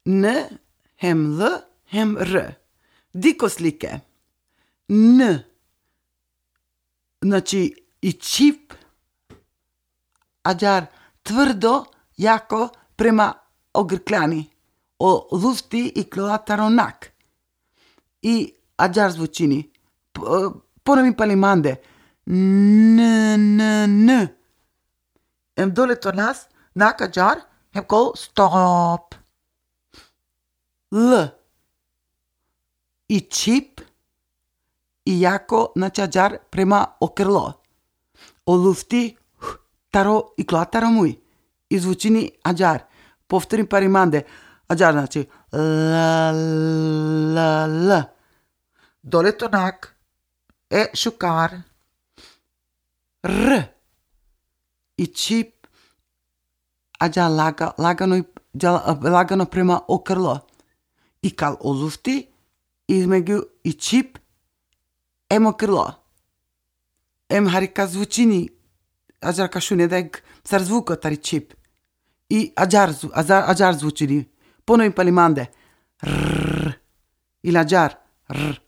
N, hem L, hem R. Diko slike. N. Znači, i čip, ađar tvrdo, jako, prema ogrkljani. O lufti i klataronak. I ađar zvučini. Ponovim palimande. N. Em dole to nas, nak ađar, hem kol stop. L. I čip, i jako, znači ađar prema okrlo. O lufti, taro i klataro muj. I zvučini ađar. Povtorim parimande. Ađar znači l. Dole tonak. Šukar. R. I čip. Ađar lagano prema okrlo. I kal o lufti. Između i čip. Em okrlo. Em harika zvučini. Ađar kašune deg sar zvuko tari čip. I ađar zvučini. Ponovim palimande. R. I ađar. R.